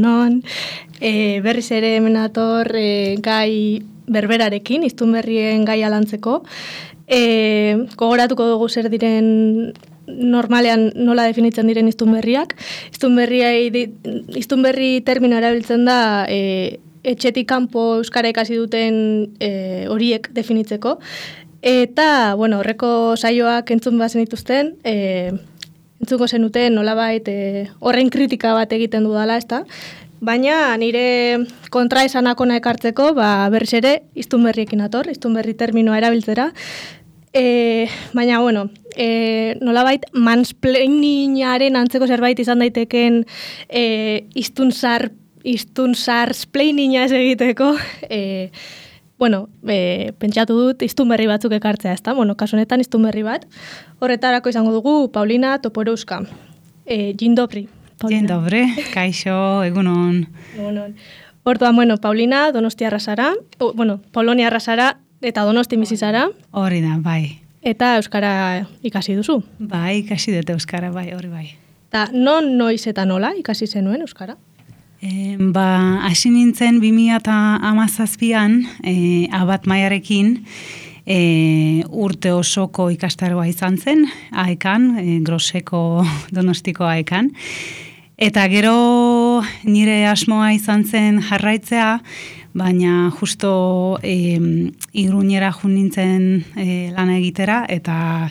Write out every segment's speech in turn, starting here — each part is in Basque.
egunon. Berriz ere hemen ator gai berberarekin, hiztun berrien gai alantzeko. Gogoratuko dugu zer diren normalean nola definitzen diren hiztun berriak. Hiztun berri termino erabiltzen da etxetik kanpo euskara ikasi duten horiek definitzeko. Eta, bueno, horreko saioak entzun bazen dituzten, entzuko zenuten nolabait horren kritika bat egiten dudala, ezta? Baina nire kontraesanakona ekartzeko, berriz ere, hiztun berriekin ator, hiztun berri terminoa erabiltzera. Baina, bueno, nolabait mansplainingaren antzeko zerbait izan daiteken hiztun splaininga ez egiteko, pentsatu dut hiztun berri batzuk ekartzea, ezta? Bueno, kasu honetan hiztun berri bat. Horretarako izango dugu Paulina Toporowska. Dzień dobry. Dzień dobry, kaixo, egunon. Egunon. Orduan, Paulina Donostiarra zara, Poloniarra zara eta Donosti bizi zara. Hori da, bai. Eta euskara ikasi duzu. Bai, ikasi dut euskara, bai, hori bai. Eta noiz eta nola ikasi zenuen euskara? Hasi nintzen 2017an abat maiarekin urte osoko ikastaroa izan zen, aekan, Groseko Donostiko aekan. Eta gero nire asmoa izan zen jarraitzea, baina justo Iruñera jun nintzen lana egitera, eta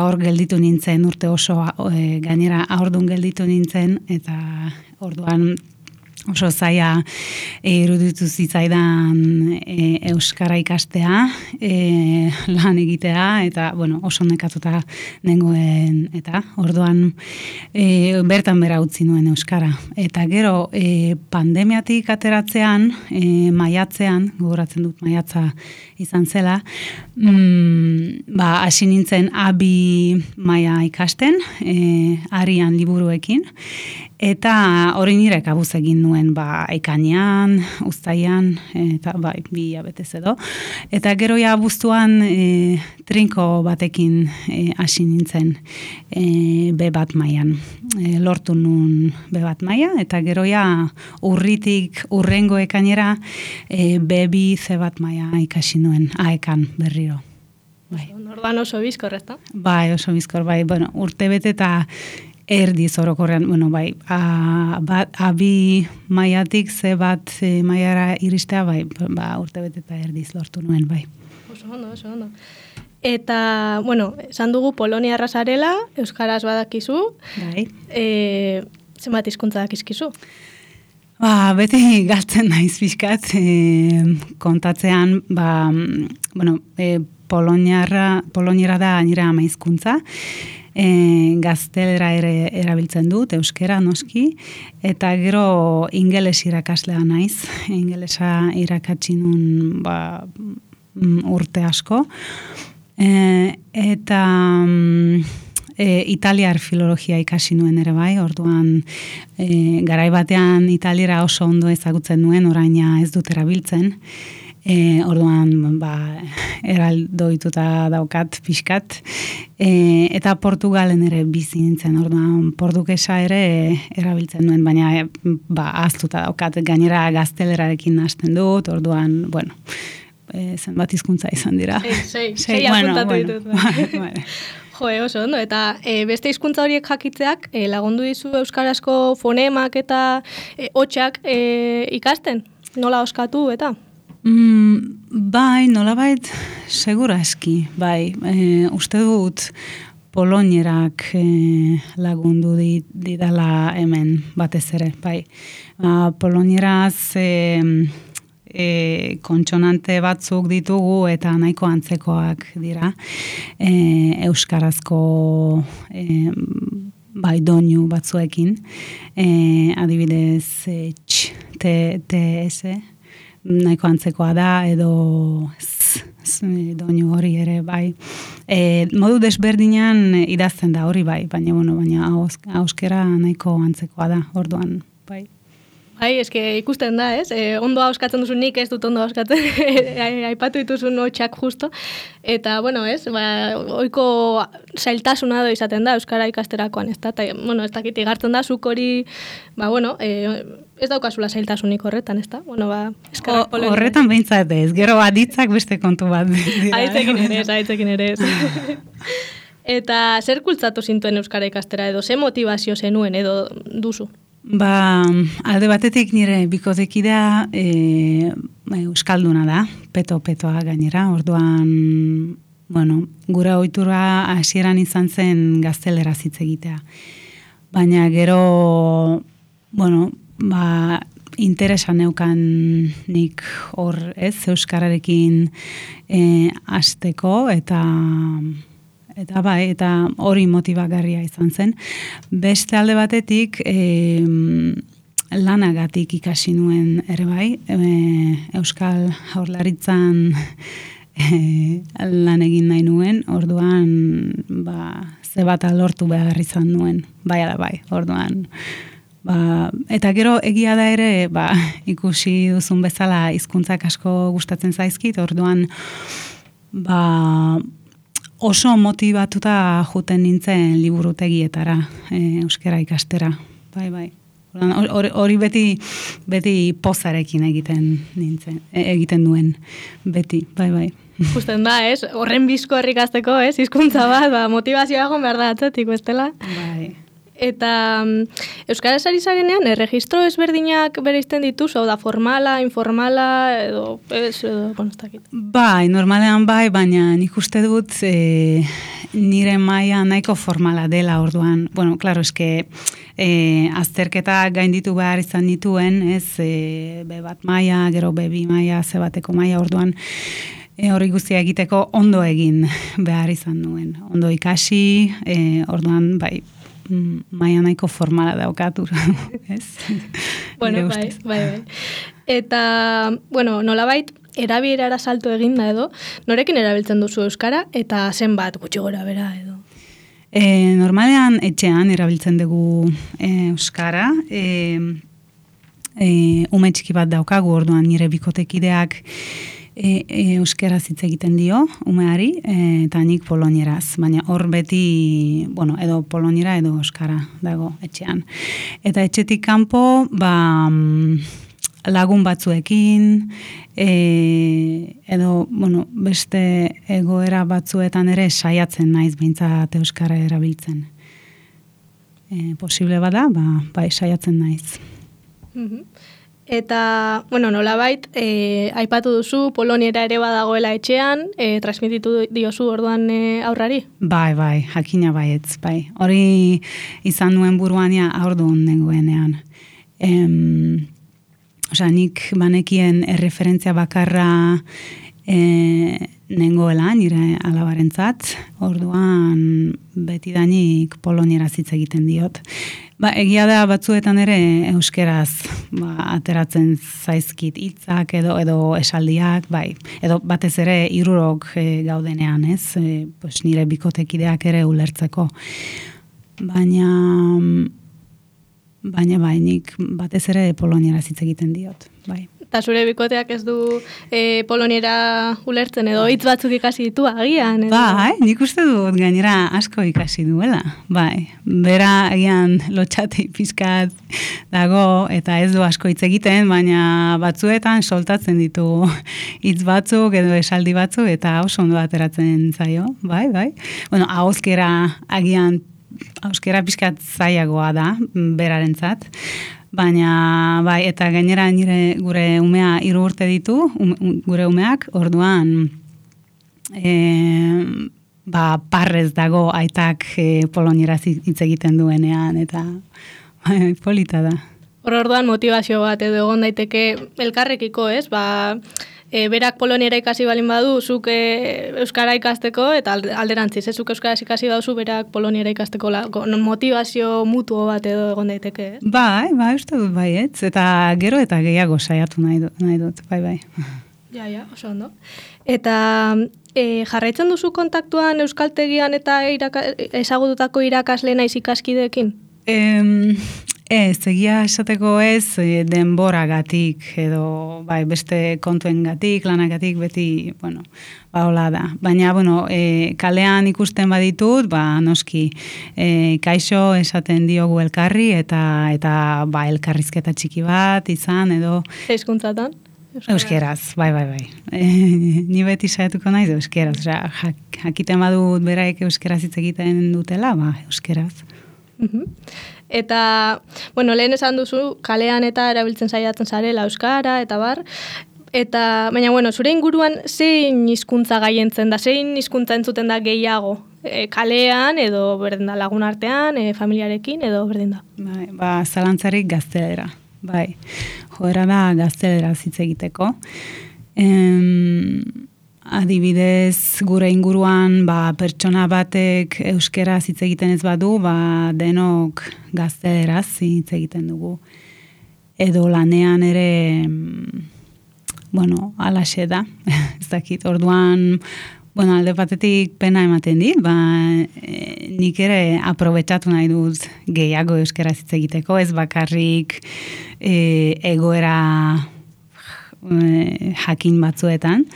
hor gelditu nintzen urte osoa, gainera aurdun gelditu nintzen, eta orduan oso zaila iruditu zitzaidan euskara ikastea, lan egitea, eta oso nekatuta nengoen, eta orduan bertan bera utzi nuen euskara. Eta gero pandemiatik ateratzean, maiatzean, gogoratzen dut maiatza izan zela, hasi nintzen abi maila ikasten, arian liburuekin, eta hori nire kabuz egin nuen ekainean, uztaian, eta bi hilabetez edo. Eta gero ja abuztuan trinko batekin hasi nintzen B1 mailan. Lortu nun B1 maila, eta gero ja urritik urrengo ekainera B2 C1 maila ikasi nuen aekan berriro. Orduan oso bizkor, ezta? Bai, oso bizkor, bai. Urte bete eta erdiz orokorrean, abi maiatik C1 mailara iristea, urte bete eta erdiz lortu nuen, bai. Oso ondo. Eta, esan dugu Poloniarra zarela, euskaraz badakizu. Bai. Zenbat hizkuntza dakizkizu? Beti galtzen naiz pixkat, kontatzean, poloniara da nire ama hizkuntza, gaztelera ere erabiltzen dut, euskera noski, eta gero ingeles irakaslea naiz, ingelesa irakatsi nun urte asko, eta italiar filologia ikasi nuen ere bai, orduan garai batean italiera oso ondo ezagutzen nuen, oraina ez dut erabiltzen, orduan eraldoituta daukat pixkat, eta Portugalen ere bizi nintzen, orduan portugesa ere erabiltzen nuen, baina ahaztuta daukat, gainera gaztelerarekin hasten dut, orduan, zenbat hizkuntza izan dira. Sei apuntatu ditut. Jo, oso ondo, eta beste hizkuntza horiek jakitzeak lagundu dizu euskarazko fonemak eta hotxak ikasten? Nola oskatu eta? Bai, nolabait segurazki, uste dut polonierak lagundu didala hemen batez ere, bai. Polonieraz kontsonante batzuk ditugu eta nahiko antzekoak dira. Euskarazko doinu batzuekin. Adibidez, TS, nahiko antzekoa da, edo doinu hori ere, bai. Modu desberdinan idazten da hori, bai, baina auskera nahiko antzekoa da, orduan, bai. Bai, eske ikusten da, ez? Ondo hauskatzen duzu, nik ez dut ondo hauskatzen, aipatu dituzun hotxak justo. Eta, bueno, ez? Oiko zailtasuna izaten da euskara ikasterakoan, ez da? Eta, bueno, ez dakit igartzen da, zuk hori, ez daukazula zailtasunik horretan, ez da? Bueno, eskerrak Polonia. Horretan behintzat ez, gero aditzak beste kontu bat. Aitzekin ere ez. Eta zer kultzatu zintuen euskara ikastera edo, ze motivazio zenuen edo duzu? Alde batetik nire bikotekidea euskalduna da, petoa gainera, orduan, gura ohitura hasieran izan zen gazteleraz hitz egitea. Baina gero, interesa neukan nik hor ez, euskararekin hasteko eta hori motibagarria izan zen. Beste alde batetik, lanagatik ikasi nuen ere bai, Euskal Jaurlaritzan lan egin nahi nuen, orduan, ze bat lortu behar izan nuen, orduan. Eta gero egia da ere, ikusi duzun bezala hizkuntzak asko gustatzen zaizkit, orduan, oso motibatuta juten nintzen liburutegietara, euskara ikastera. Bai. Hori beti pozarekin egiten duen, beti, bai. Justen da, ez? Horren bizko ikasteko, ez? Hizkuntza bat, motivazioa egon behar da atzetik, bestela? Bai. Eta euskaraz ari zarenean, registro ezberdinak bereizten dituzu, da formala, informala, edo konustakit? Bai, normalean bai, baina nik uste dut nire maila nahiko formala dela orduan. Bueno, klaro, eske azterketa gainditu behar izan dituen, ez, B1 maila, gero B2 maila, C1 maila, orduan hori guztia egiteko ondo egin behar izan nuen. Ondo ikasi, orduan, bai, maia nahiko formala daukatu, ez? Bueno, bai. Eta, nolabait, erabilerara salto eginda edo, norekin erabiltzen duzu euskara, eta zenbat gutxi gora bera edo? Normalean etxean erabiltzen dugu euskara, ume txiki bat daukagu, orduan nire bikotekideak euskeraz hitz egiten dio, umeari, eta nik polonieraz, baina hor beti, edo poloniera edo euskara dago etxean. Eta etxetik kanpo, lagun batzuekin, edo, beste egoera batzuetan ere saiatzen naiz behintzat euskara erabiltzen. Posible bada, bai saiatzen naiz. Eta, nolabait, aipatu duzu, poloniera ere badagoela etxean, transmititu diozu orduan aurrari? Bai, jakina baietz, bai. Hori izan nuen buruania aurdun nengoenean. Nik banekien erreferentzia bakarra nengoela, nire alabarentzat, orduan betidanik poloniera hitz egiten diot. Egia da batzuetan ere euskeraz ateratzen zaizkit hitzak edo esaldiak, edo batez ere 3 gaudenean, ez? Nire bikotekideak ere ulertzeko. Baina nik batez ere polonieraz hitz egiten diot, bai. Eta zure bikoteak ez du poloniera ulertzen edo hitz batzuk ikasi ditu agian? Bai, nik uste dut gainera asko ikasi duela. Bai, bera agian lotxati pizkat dago eta ez du asko hitz egiten, baina batzuetan soltatzen ditu hitz batzuk edo esaldi batzuk eta oso ondo ateratzen zaio. Bai. Ahozkera agian euskara pizkat zailagoa da berarentzat. Baina, bai, eta gainera gure umea 3 urte ditu, gure umeak, orduan parrez dago aitak polonieraz hitz egiten duenean, eta polita da. Orduan motivazio bat edo egon daiteke elkarrekiko, ez? Berak poloniera ikasi balin badu, zuk euskara ikasteko, eta alderantziz, zuk euskaraz ikasi baduzu, berak poloniera ikasteko motivazio mutuo bat edo egon daiteke, ez? Bai, uste dut baietz, eta gero eta gehiago saiatu nahi dut, bai. Ja, oso ondo. Eta jarraitzen duzu kontaktuan euskaltegian eta ezagututako irakasle naiz ikaskideekin? Egia esateko ez denboragatik edo beste kontuengatik, lanagatik beti, hola da. Baina, kalean ikusten baditut, noski, kaixo esaten diogu elkarri eta elkarrizketa txiki bat izan edo... Hizkuntzatan? Euskeraz, bai. Ni beti saiatuko naiz euskeraz, jakiten badut beraik euskeraz hitz egiten dutela, euskeraz. Eta, lehen esan duzu, kalean eta erabiltzen saiatzen zarela euskara, eta bar, baina, zure inguruan zein hizkuntza gaientzen da, zein hizkuntza entzuten da gehiago? Kalean, edo berdin da lagun artean, familiarekin, edo berdin da? Zalantzarik gaztelera, joera da gaztelera hitz egiteko. Adibidez, gure inguruan pertsona batek euskera hitz egiten ez badu, denok gazteleraz hitz egiten dugu. Edo lanean ere, alaxe da, ez dakit, orduan, alde batetik pena ematen dit, nik ere aprobetxatu nahi dut gehiago euskera hitz egiteko, ez bakarrik egoera jakin batzuetan.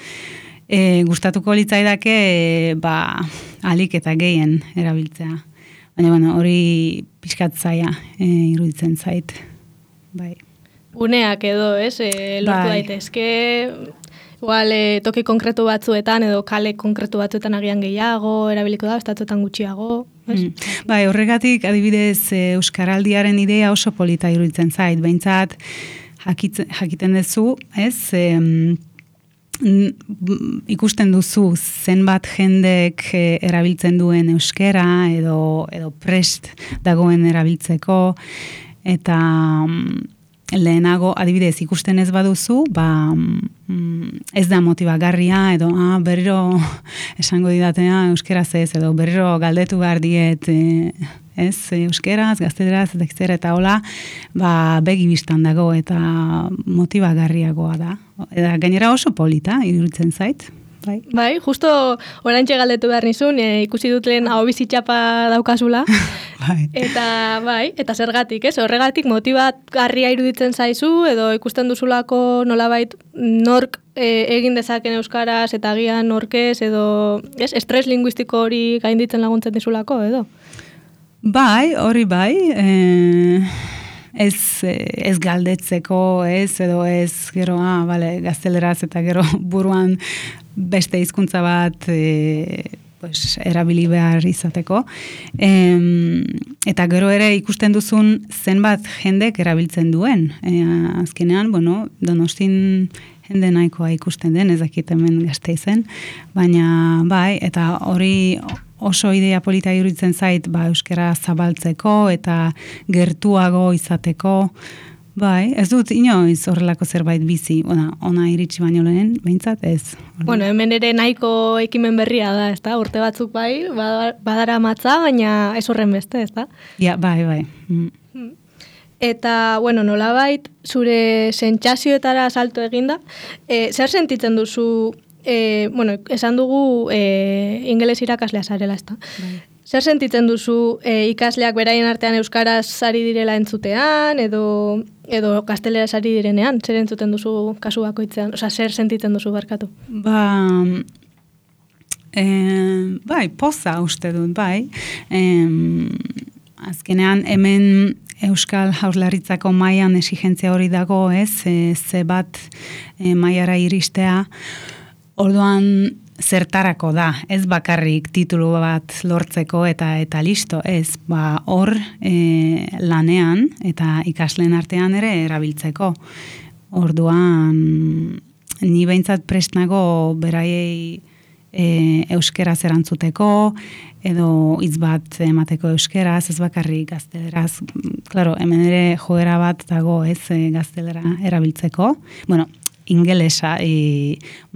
Gustatuko litzaidake alik eta gehien erabiltzea. Baina, hori pixkat zaia iruditzen zait. Bai. Uneak edo, lortu daitezke, igual toki konkretu batzuetan edo kale konkretu batzuetan agian gehiago, erabiliko da, estatuetan gutxiago. Horregatik, adibidez, Euskaraldiaren idea oso polita iruditzen zait. Behintzat, jakiten duzu, ikusten duzu zenbat jendek erabiltzen duen euskera edo prest dagoen erabiltzeko eta lehenago adibidez ikusten ez baduzu ez da motibagarria edo berriro esango didatea euskeraz ez edo berriro galdetu behar diet euskeraz, gazteleraz eta hola begi bistan dago eta motibagarriagoa da. Eta gainera oso polita, iruditzen zait. Bai, justo oraintxe galdetu behar nizun, ikusi dut lehen hau bizitxapa daukazula. Eta zergatik, horregatik motibagarria iruditzen zaizu, edo ikusten duzulako nolabait nork egin dezaken euskaraz, eta agian norkez, edo estres linguistiko hori gainditzen laguntzen dizulako, edo? Hori ez galdetzeko, edo ez, gero, gazteleraz eta gero buruan beste hizkuntza bat erabili behar izateko. Eta gero ere ikusten duzun zenbat jendek erabiltzen duen. Azkenean, Donostin jende nahikoa ikusten den, ez dakit hemen Gasteizen, baina eta hori oso idea polita iruditzen zait, euskara zabaltzeko eta gertuago izateko. Ez dut inoiz horrelako zerbait bizi, ona iritsi baino lehen, behintzat ez. Hemen ere nahiko ekimen berria da, ezta? Urte batzuk badara matza, baina ez horren beste, ezta? Ja, bai. Eta, nolabait, zure sentsazioetara salto eginda, zer sentitzen duzu, esan dugu ingeles irakaslea zarela, ezta? Zer sentitzen duzu ikasleak beraien artean euskaraz ari direla entzutean, edo gazteleraz ari direnean? Zer entzuten duzu kasu bakoitzean? Zer sentitzen duzu barkatu? Poza uste dut, azkenean hemen Euskal Jaurlaritzako mailan exigentzia hori dago, ze bat mailara iristea, orduan zertarako da, ez bakarrik titulu bat lortzeko eta listo, ez, hor lanean eta ikasleen artean ere erabiltzeko. Orduan, ni behintzat prest nago beraiei euskeraz erantzuteko, edo hitz bat emateko euskeraz, ez bakarrik gazteleraz. Claro, hemen ere joera bat dago, ez, gaztelera erabiltzeko. Ingelesa,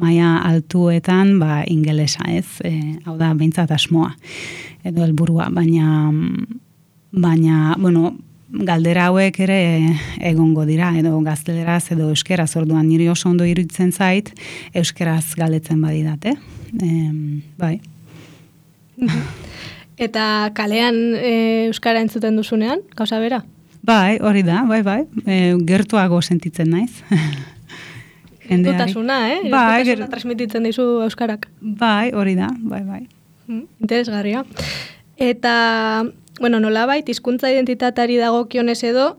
maila altuetan, ingelesa, ez? Hau da, behintzat asmoa, edo helburua, baina, galdera hauek ere egongo dira, edo gazteleraz, edo euskeraz, orduan niri oso ondo iruditzen zait, euskeraz galdetzen badidate. Bai. Eta kalean euskara entzuten duzunean, gauza bera? Bai, hori da, bai. Gertuago sentitzen naiz. Gertutasuna, Bai, gertutasuna transmititzen dizu euskarak. Bai, hori da, bai. Interesgarria. Eta, bueno, nolabait, hizkuntza identitatari dagokionez edo,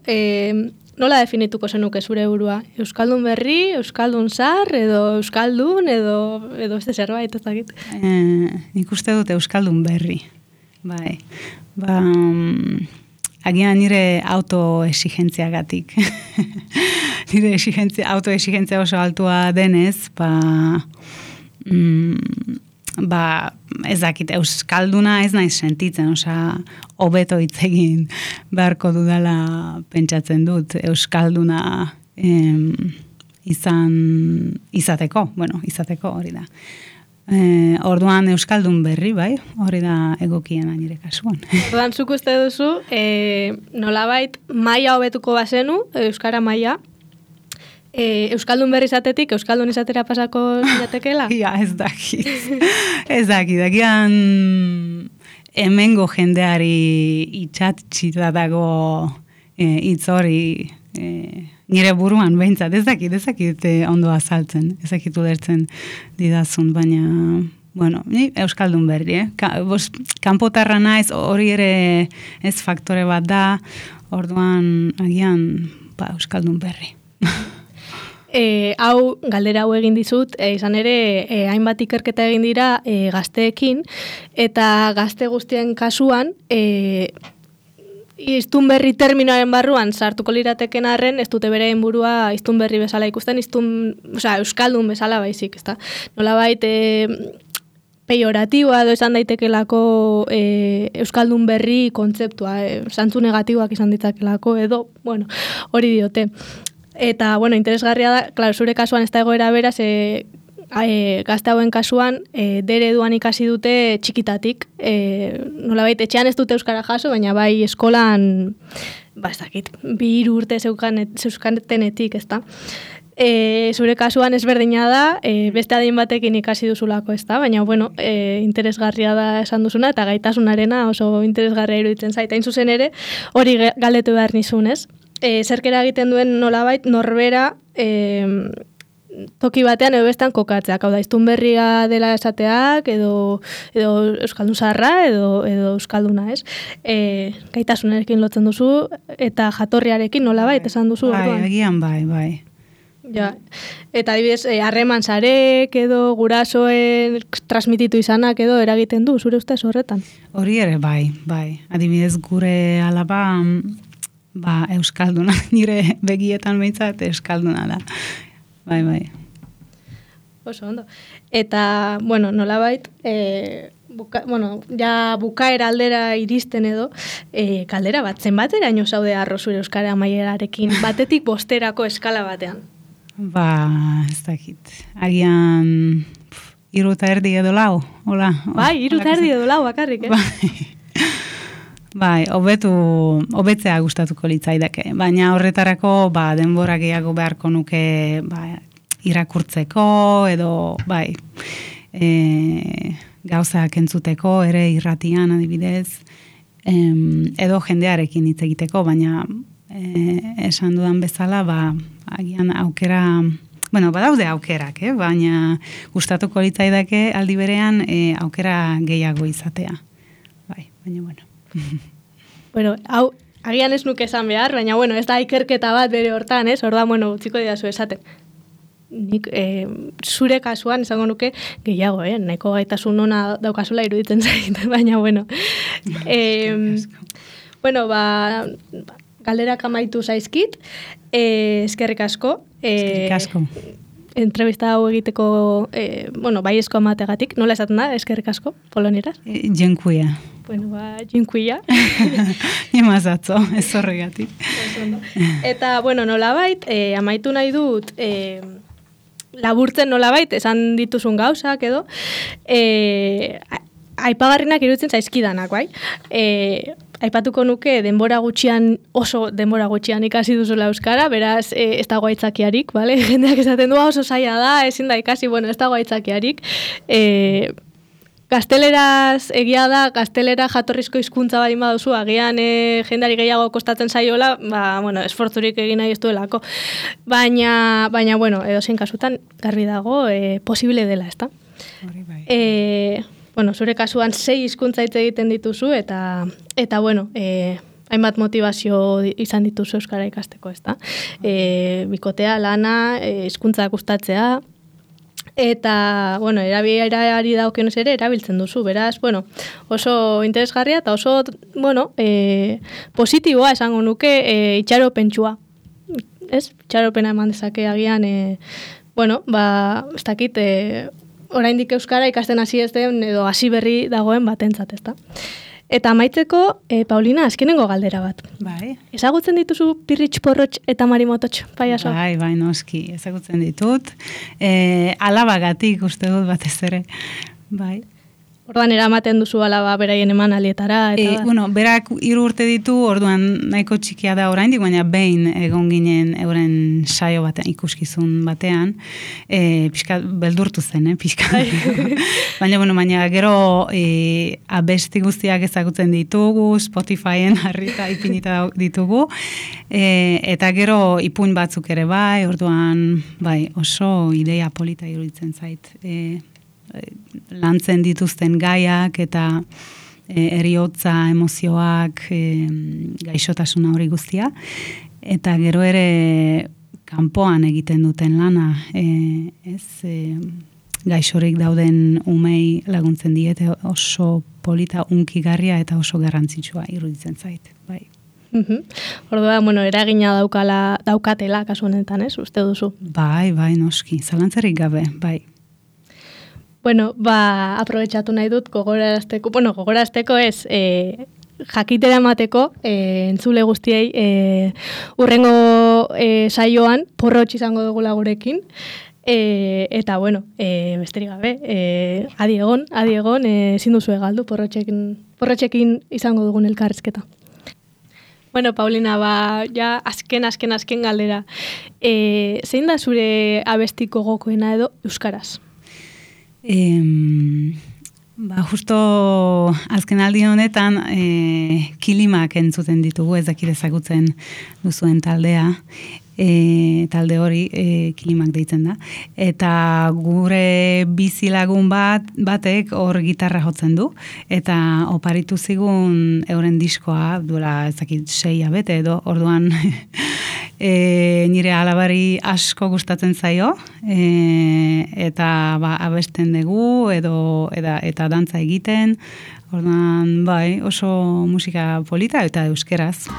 nola definituko zenuke zure burua? Euskaldun berri, euskaldun zar, edo euskaldun, edo beste zerbait, ez dakit? Nik uste dut euskaldun berri. Bai. Agian nire autoexigentziagatik. Nire autoexigentzia oso altua denez, ez dakit, euskalduna ez naiz sentitzen, hobeto hitz egin beharko dudala pentsatzen dut, euskalduna izateko hori da. Orduan euskaldun berri, bai, hori da egokiena nire kasuan. Orduan, zuk uste duzu, nolabait, maila hobetuko bazenu, euskara maila, euskaldun berri izatetik, euskaldun izatera pasako jatekela? Ja, ez dakit. Dakian hemengo jendeari itxatxita dago hitz hori nire buruan behintzat, ez dakit ondo azaltzen, ez dakit ulertzen didazun, baina, bueno, ni euskaldun berri, kanpotarra naiz, hori ere ez faktore bat da, orduan agian euskaldun berri. Galdera hau egin dizut, izan ere, hainbat ikerketa egin dira gazteekin, eta gazte guztien kasuan, hiztunberri terminoaren barruan sartuko lirateken arren, ez dute bere burua hiztunberri bezala ikusten, euskaldun bezala baizik, ezta? Nolabait, pejoratiboa edo esan daitekelako euskaldun berri kontzeptua, zantzu negatiboak izan ditzakelako edo, bueno, hori diote. Eta, bueno, interesgarria da, klaro, zure kasuan ez da egoera beraz, gazte hauen kasuan, dere eduan ikasi dute txikitatik. Nolabait, etxean ez dute euskara jaso, baina bai eskolan, ez dakit, 2 urte zeuskanetenetik, ez da. Zure kasuan ezberdina da, beste adin batekin ikasi duzulako, ez da, baina, bueno, interesgarria da esan duzuna, eta gaitasunarena oso interesgarria iruditzen zait. Hain zuzen ere, hori galdetu behar nizun, ez? Zerkera egiten duen nolabait norbera toki batean edo bestan kokatzeak, hau da, hiztunberria dela esateak, edo euskaldun zaharra, edo euskalduna, ez? Gaitasunarekin lotzen duzu, eta jatorriarekin nolabait esan duzu. Bai, agian bai. Ja. Eta adibidez, harreman zarek edo gurasoen transmititu izanak edo eragiten du, zure ustez horretan? Hori ere bai. Adibidez, gure alaba euskalduna, nire begietan behintzat euskalduna da. Bai. Oso ondo. Eta, bueno, nolabait, ja bukaera aldera iristen edo, kaldera bat, zenbateraino zaude arro zure euskara amaierarekin, batetik 5 eskala batean? Ez dakit. Agian 3,5 edo 4, hola. Bai, 3,5 edo 4 bakarrik, Bai, hobetzea gustatuko litzaidake, baina horretarako denbora gehiago beharko nuke irakurtzeko edo gauzak entzuteko ere irratian adibidez, edo jendearekin hitz egiteko, baina esan dudan bezala, agian aukera, badaude aukerak, baina gustatuko litzaidake aldi berean aukera gehiago izatea. Baina Bueno, hau, agian ez nuke esan behar, baina, ez da ikerketa bat bere hortan, ez? Orda, utziko didazu esaten. Nik, zure kasuan, esango nuke, gehiago, nahiko gaitasun ona daukazula iruditzen zait, baina, galderak amaitu zaizkit, eskerrik asko. Eskerrik asko. Entrevista hau egiteko, baiezko amategatik, nola esaten da, eskerrik asko, polonieraz? Dziękuję. Dziękuję. Imazatzo, ez horregatik. Eta, nolabait, amaitu nahi dut, laburtzen nolabait, esan dituzun gauzak edo, aipagarrinak iruditzen zaizkidanak, bai? Aipatuko nuke oso denbora gutxian ikasi duzula euskara, beraz ez dago aitzakiarik, bale? Jendeak esaten du oso zaila da, ezin da ikasi, ez dago aitzakiarik. gazteleraz egia da, gaztelera jatorrizko hizkuntza bari baduzu, agian jendari gehiago kostatzen zaiola, esfortzurik egin nahi ez duelako. Baina, edozein kasutan, garbi dago, posible dela, ezta? Hori bai. Zure kasuan 6 hizkuntza hitz egiten dituzu, eta hainbat motivazio izan dituzu euskara ikasteko, ezta? Bikotea, lana, hizkuntza gustatzea, eta, erabilerari dagokionez ere erabiltzen duzu, beraz, oso interesgarria eta oso, positiboa esango nuke itxaropentsua. Ez? Itxaropena eman dezake agian, ez dakit, oraindik euskara ikasten hasi ez den edo hasi berri dagoen batentzat, ezta? Eta amaitzeko, Paulina, azkenengo galdera bat. Bai. Ezagutzen dituzu Pirritx, Porrotx eta Marimototx, paiaso? Bai, noski, ezagutzen ditut. Alabagatik uste dut batez ere. Bai. Orduan eramaten duzu alaba beraien eman alietara. Berak 3 urte ditu, orduan nahiko txikia da oraindik, baina behin egon ginen euren saio batean, ikuskizun batean, pixka beldurtu zen, pixka. Baina gero abesti guztiak ezagutzen ditugu, Spotifyen harrita ipinita ditugu, eta gero ipuin batzuk ere bai, orduan oso ideia polita iruditzen zait. Lantzen dituzten gaiak eta heriotza, emozioak, gaixotasuna hori guztia. Eta gero ere kanpoan egiten duten lana, gaixorik dauden umei laguntzen diete oso polita, unkigarria eta oso garrantzitsua iruditzen zait. Bai. Orduan, eragina daukatela kasu honetan, ez? Uste duzu? Bai, noski, zalantzarik gabe, bai. Aprobetxatu nahi dut gogorazteko ez, jakitera emateko, entzule guztiei, urrengo saioan porrotx izango dugula gurekin, eta besterik gabe, adi egon, ezin duzu egaldu porrotxekin izango dugun elkarrizketa. Paulina, ja azken galdera. Zein da zure abesti gogokoena edo euskaraz? Justo azken aldi honetan kilimak entzuten ditugu, ez dakit ezagutzen duzuen taldea, talde hori kilimak deitzen da, eta gure bizilagun batek hor gitarra jotzen du, eta oparitu zigun euren diskoa, duela ez dakit 6 bete edo, orduan nire alabari asko gustatzen zaio, eta abesten dugu eta dantza egiten, orduan oso musika polita eta euskeraz.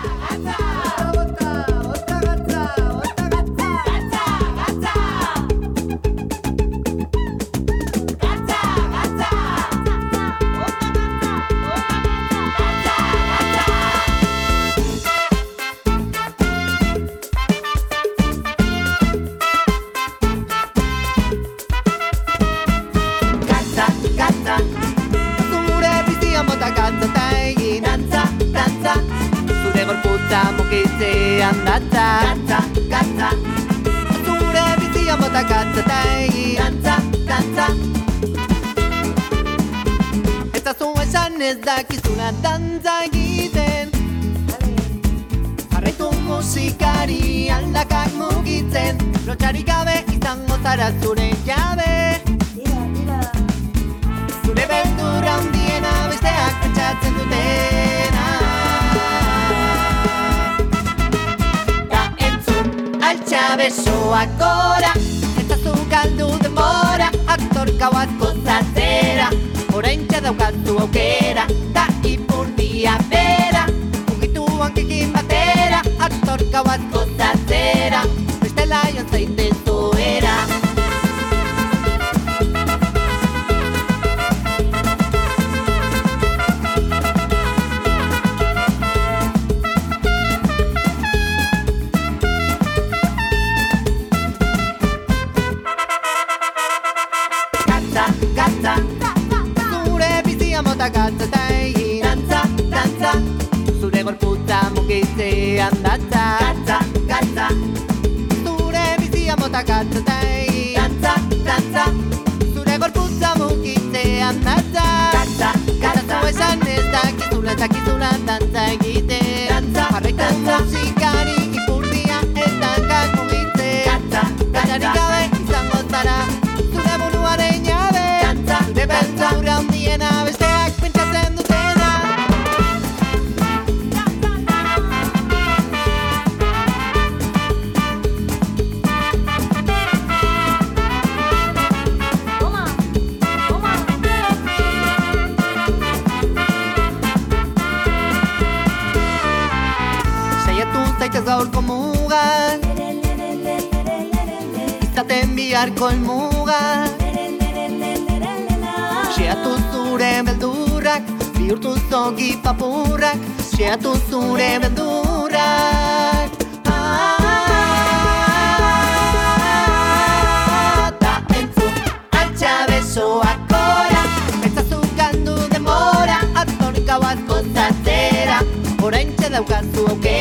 Gatza, zure bizian bota gatza eta egin dantza. Eta zu esan ez dakizuna dantza egiten, jarraitu musikari aldakak mugitzen, lotxarik gabe izango zara zure jabe. Zure beldurra hundiena besteak pentsatzen dutena. Besoak gora, eta zu galdu denbora, aktorka bat gozatzera, oraintxe daukatu aukera, da ipurdia bera, mugitu hankekin batera, aktorka bat gozatzera, bestela joan zaite zuera. Gatza eta egin dantza, zure gorputza mugitzean datza. Gatza, zure bizia mota gatza eta egin dantza, zure gorputza mugitzean datza. gaurko mugan, izaten biharko elmugan. Xeatu zure beldurrak, bihurtu zogi papurrak, xeatu zure beldurrak. Da entzun, antxa besoak gora, pentsazu galdu demora, atzor gauaz gozatzera, oraintxe daukazu aukera.